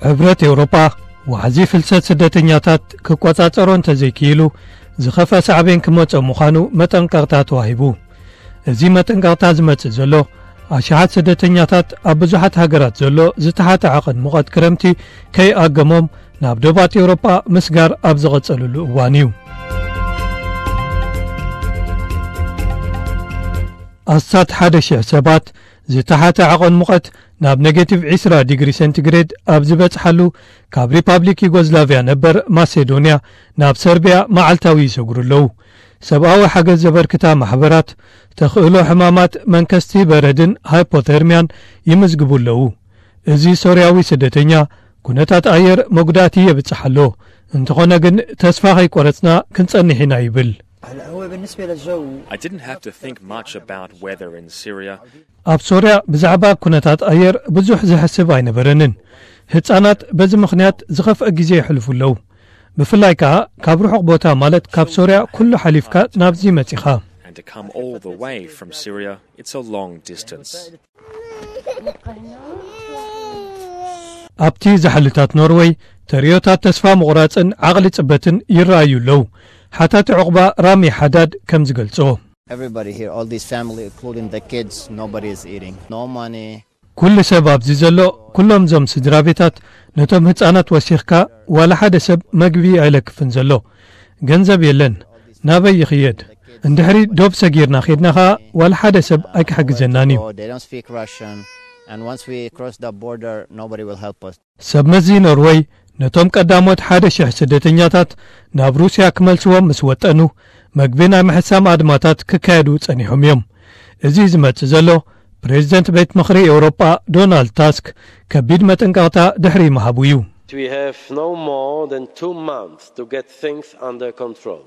ሕብረት ኤውሮጳ ዋሕዚ ፍልሰት ስደተኛታት ክቆጻጸሮ እንተዘይክኢሉ ዝኸፍአ ሳዕቤን ክመጽኦ ምዃኑ መጠንቀቕታ ተዋሂቡ። እዚ መጠንቀቕታ ዝመጽእ ዘሎ ኣሽሓት ስደተኛታት ኣብ ብዙሓት ሃገራት ዘሎ ዝተሓተ ዓቐን ሙቐት ክረምቲ ከይኣገሞም ናብ ዶባት ኤውሮጳ ምስጋር ኣብ ዝቐጸሉሉ እዋን እዩ። ኣስታት ሓደ ሽሕ ሰባት ዝተሓተ ዓቐን ሙቐት ናብ ኔጌቲቭ ዒስራ ዲግሪ ሴንቲግሬድ ኣብ ዝበጽሓሉ ካብ ሪፓብሊክ ዩጎዝላቪያ ነበር ማሴዶንያ ናብ ሰርቢያ መዓልታዊ ይሰግሩ ኣለዉ። ሰብኣዊ ሓገዝ ዘበርክታ ማሕበራት ተኽእሎ ሕማማት መንከስቲ በረድን ሃይፖተርሚያን ይምዝግቡ ኣለዉ። እዚ ሶርያዊ ስደተኛ ኩነታት ኣየር መጉዳእቲ የብጽሕ ኣሎ። እንተኾነ ግን ተስፋ ከይቆረጽና ክንጸንሕ ኢና ይብል። I didn't have to think much about weather in Syria. ኣብ ሶርያ ብዛዕባ ኩነታት ኣየር ብዙሕ ዝሕስብ ኣይነበረንን። ህጻናት በዚ ምኽንያት ዝኸፍአ ግዜ የሕልፉ ኣለዉ። ብፍላይ ከኣ ካብ ርሑቕ ቦታ ማለት ካብ ሶርያ ኩሉ ሓሊፍካ ናብዚ መጺኻ። And to come all the way from Syria, it's a long distance. ኣብቲ ዛሕልታት ኖርወይ ተርእዮታት ተስፋ ምቑራጽን ዓቕሊ ጽበትን ይረኣዩ ኣለዉ። ሓታቲ ዕቑባ ራሚ ሓዳድ ከም ዝገልጾ። Everybody here, all this family, including the kids, nobody is eating. No money. ኩሉ ሰብ ኣብዚ ዘሎ፣ ኩሎም እዞም ስድራ ቤታት ነቶም ህጻናት ወሲኽካ ዋላ ሓደ ሰብ መግቢ ኣይለክፍን ዘሎ። ገንዘብ የለን። ናበይ ይኽየድ? እንድሕሪ ዶብ ሰጊርና ኬድና ኸኣ ዋላ ሓደ ሰብ ኣይክሕግዘናን እዩ። They don't speak Russian. And once we cross the border, nobody will help us. ሰብ መዚ ኖርወይ ነቶም ቀዳሞት ሓደ ሽሕ ስደተኛታት ናብ ሩስያ ክመልስዎም ምስ ወጠኑ፣ መግቢ ናይ ምሕሳም ኣድማታት ክካየዱ ጸኒሖም እዮም። እዚ ዝመጽእ ዘሎ ፕሬዚደንት ቤት ምኽሪ ኤውሮጳ ዶናልድ ታስክ ከቢድ መጠንቀቕታ ድሕሪ ምሃቡ እዩ። We have no more than two months to get things under control.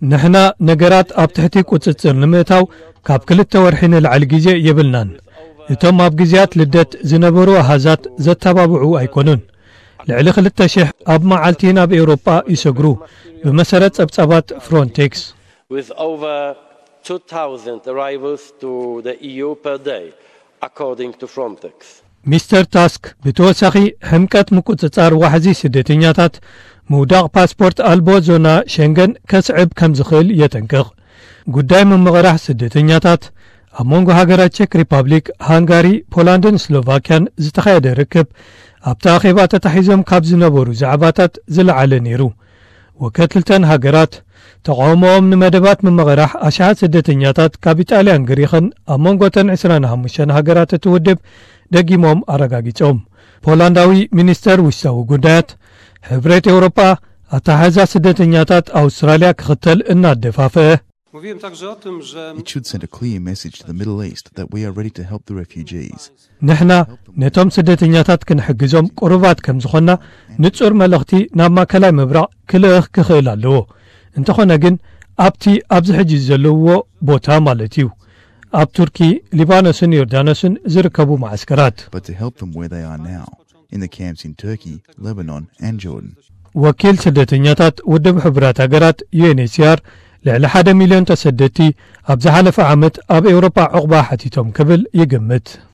ንሕና ነገራት ኣብ ትሕቲ ቁጽጽር ንምእታው ካብ ክልተ ወርሒ ንላዕሊ ግዜ የብልናን። እቶም ኣብ ግዜያት ልደት ዝነበሩ ኣሃዛት ዘተባብዑ ኣይኮኑን። ልዕሊ ክልተ ሽሕ ኣብ መዓልቲ ናብ ኤውሮጳ ይሰግሩ፣ ብመሰረት ጸብጻባት ፍሮንቴክስ። With over two thousand arrivals to the E U per day, according to Frontex. ሚስተር ታስክ ብተወሳኺ ሕምቀት ምቁጽጻር ዋሕዚ ስደተኛታት ምውዳቕ ፓስፖርት ኣልቦ ዞና ሸንገን ከስዕብ ከም ዝኽእል የጠንቅቕ። ጉዳይ ምምቕራሕ ስደተኛታት ኣብ መንጎ ሃገራት ቼክ ሪፓብሊክ፣ ሃንጋሪ፣ ፖላንድን ስሎቫክያን ዝተኻየደ ርክብ ኣብቲ ኣኼባ ተታሒዞም ካብ ዝነበሩ ዛዕባታት ዝለዓለ ነይሩ። ወከልተን ሃገራት ተቓውሞኦም ንመደባት ምምቕራሕ ኣሽሓት ስደተኛታት ካብ ኢጣልያን ግሪኽን ኣብ መንጎ እተን ዕስራን ሓሙሽተን ሃገራት እቲ ውድብ ደጊሞም ኣረጋጊጾም። ፖላንዳዊ ሚኒስተር ውሽጣዊ ጉዳያት ሕብረት ኤውሮጳ ኣተሓሕዛ ስደተኛታት ኣውስትራልያ ክኽተል እናደፋፍአ። Mówiłem także o tym, że It should send a clear message to the Middle East that we are ready to help the refugees. ንሕና ነቶም ስደተኛታት ክንሕግዞም ቅሩባት ከም ዝኾንና ንጹር መልእኽቲ ናብ ማእከላይ ምብራቕ ክልእኽ ክኽእል ኣለዎ። እንተኾነ ግን ኣብቲ ኣብዚ ሕጂ ዘለውዎ ቦታ ማለት እዩ። ኣብ ቱርኪ፣ ሊባኖስን ዮርዳኖስን ዝርከቡ መዓስከራት። But to help them where they are now, in the camps in Turkey, Lebanon, and Jordan. ወኪል ስደተኛታት ውድብ ሕቡራት ሃገራት ዩ ኤን ኤች ሲ ኣር ልዕሊ ሓደ ሚልዮን ተሰደድቲ ኣብ ዝሓለፈ ዓመት ኣብ ኤውሮጳ ዕቑባ ሓቲቶም ክብል ይግምት።